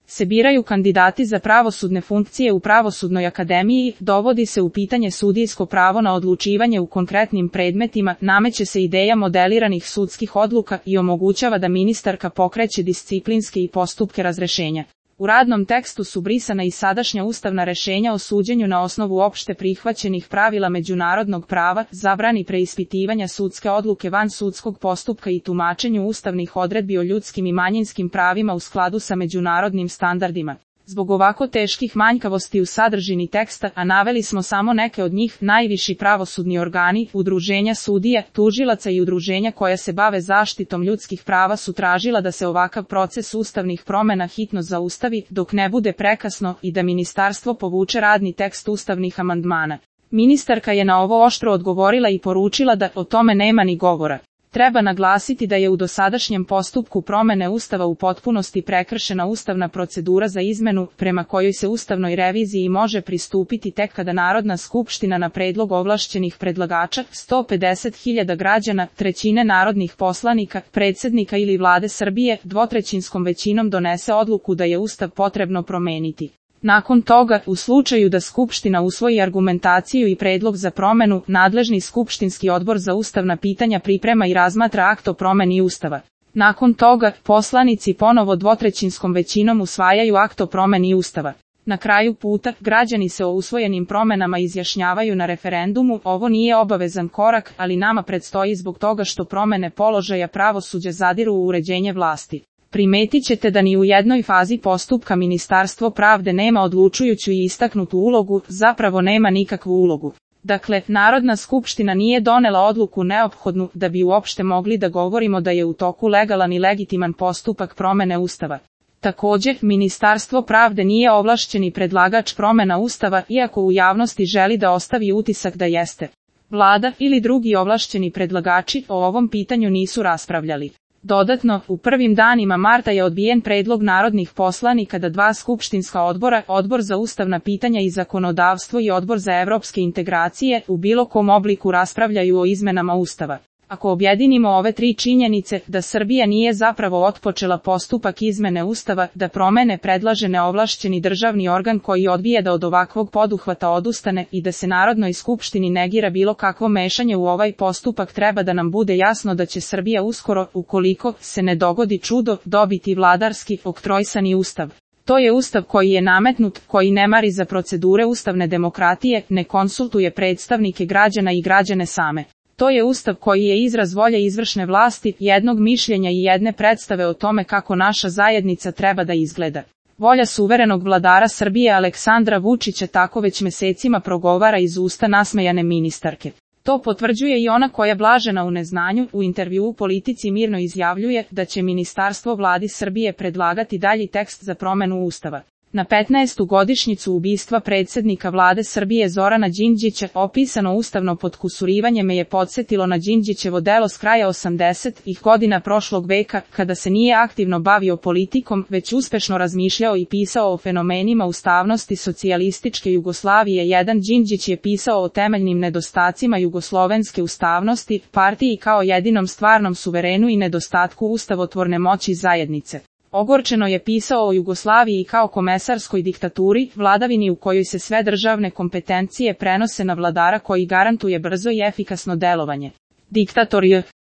se biraju kandidati za pravosudne funkcije u Pravosudnoj akademiji, dovodi se u pitanje sudijsko pravo na odlučivanje u konkretnim predmetima, nameće se ideja modeliranih sudskih odluka i omogućava da ministarka pokreće disciplinske i postupke razrešenja. U radnom tekstu su brisana i sadašnja ustavna rešenja o suđenju na osnovu opšte prihvaćenih pravila međunarodnog prava, zabrani preispitivanja sudske odluke van sudskog postupka i tumačenju ustavnih odredbi o ljudskim i manjinskim pravima u skladu sa međunarodnim standardima. Zbog ovako teških manjkavosti u sadržini teksta, a naveli smo samo neke od njih, najviši pravosudni organi, udruženja sudija, tužilaca i udruženja koja se bave zaštitom ljudskih prava su tražila da se ovakav proces ustavnih promena hitno zaustavi, dok ne bude prekasno, i da ministarstvo povuče radni tekst ustavnih amandmana. Ministarka je na ovo oštro odgovorila i poručila da o tome nema ni govora. Treba naglasiti da je u dosadašnjem postupku promene Ustava u potpunosti prekršena ustavna procedura za izmenu, prema kojoj se ustavnoj reviziji može pristupiti tek kada Narodna skupština na predlog ovlašćenih predlagača, 150.000 građana, trećine narodnih poslanika, predsjednika ili Vlade Srbije, dvotrećinskom većinom donese odluku da je Ustav potrebno promeniti. Nakon toga, u slučaju da Skupština usvoji argumentaciju i predlog za promenu, nadležni skupštinski odbor za ustavna pitanja priprema i razmatra akt o promeni Ustava. Nakon toga, poslanici ponovo dvotrećinskom većinom usvajaju akt o promeni Ustava. Na kraju puta, građani se o usvojenim promenama izjašnjavaju na referendumu. Ovo nije obavezan korak, ali nama predstoji zbog toga što promene položaja pravosuđa zadiru u uređenje vlasti. Primetit ćete da ni u jednoj fazi postupka Ministarstvo pravde nema odlučujuću i istaknutu ulogu, zapravo nema nikakvu ulogu. Dakle, Narodna skupština nije donela odluku neophodnu da bi uopšte mogli da govorimo da je u toku legalan i legitiman postupak promene Ustava. Također, Ministarstvo pravde nije ovlašćeni predlagač promena Ustava, iako u javnosti želi da ostavi utisak da jeste. Vlada ili drugi ovlašćeni predlagači o ovom pitanju nisu raspravljali. Dodatno, u prvim danima marta je odbijen predlog narodnih poslanika da dva skupštinska odbora, Odbor za ustavna pitanja i zakonodavstvo i Odbor za evropske integracije, u bilo kom obliku raspravljaju o izmenama Ustava. Ako objedinimo ove tri činjenice, da Srbija nije zapravo otpočela postupak izmene Ustava, da promene predlaže neovlašćeni državni organ koji odbija da od ovakvog poduhvata odustane i da se Narodnoj skupštini negira bilo kakvo mešanje u ovaj postupak, treba da nam bude jasno da će Srbija uskoro, ukoliko se ne dogodi čudo, dobiti vladarski, oktrojsani Ustav. To je Ustav koji je nametnut, koji ne mari za procedure ustavne demokratije, ne konsultuje predstavnike građana i građane same. To je Ustav koji je izraz volje izvršne vlasti, jednog mišljenja i jedne predstave o tome kako naša zajednica treba da izgleda. Volja suverenog vladara Srbije Aleksandra Vučića tako već mesecima progovara iz usta nasmejane ministarke. To potvrđuje i ona koja blažena u neznanju, u intervjuu Politici mirno izjavljuje da će ministarstvo Vladi Srbije predlagati dalji tekst za promenu Ustava. Na 15. godišnjicu ubistva predsjednika Vlade Srbije Zorana Đinđića, opisano ustavno potkusurivanje me je podsjetilo na Đinđićevo delo s kraja 80-ih godina prošlog veka, kada se nije aktivno bavio politikom, već uspešno razmišljao i pisao o fenomenima ustavnosti socijalističke Jugoslavije. Jedan Đinđić je pisao o temeljnim nedostacima jugoslovenske ustavnosti, partiji kao jedinom stvarnom suverenu i nedostatku ustavotvorne moći zajednice. Ogorčeno je pisao o Jugoslaviji kao komesarskoj diktaturi, vladavini u kojoj se sve državne kompetencije prenose na vladara koji garantuje brzo i efikasno delovanje. Diktator je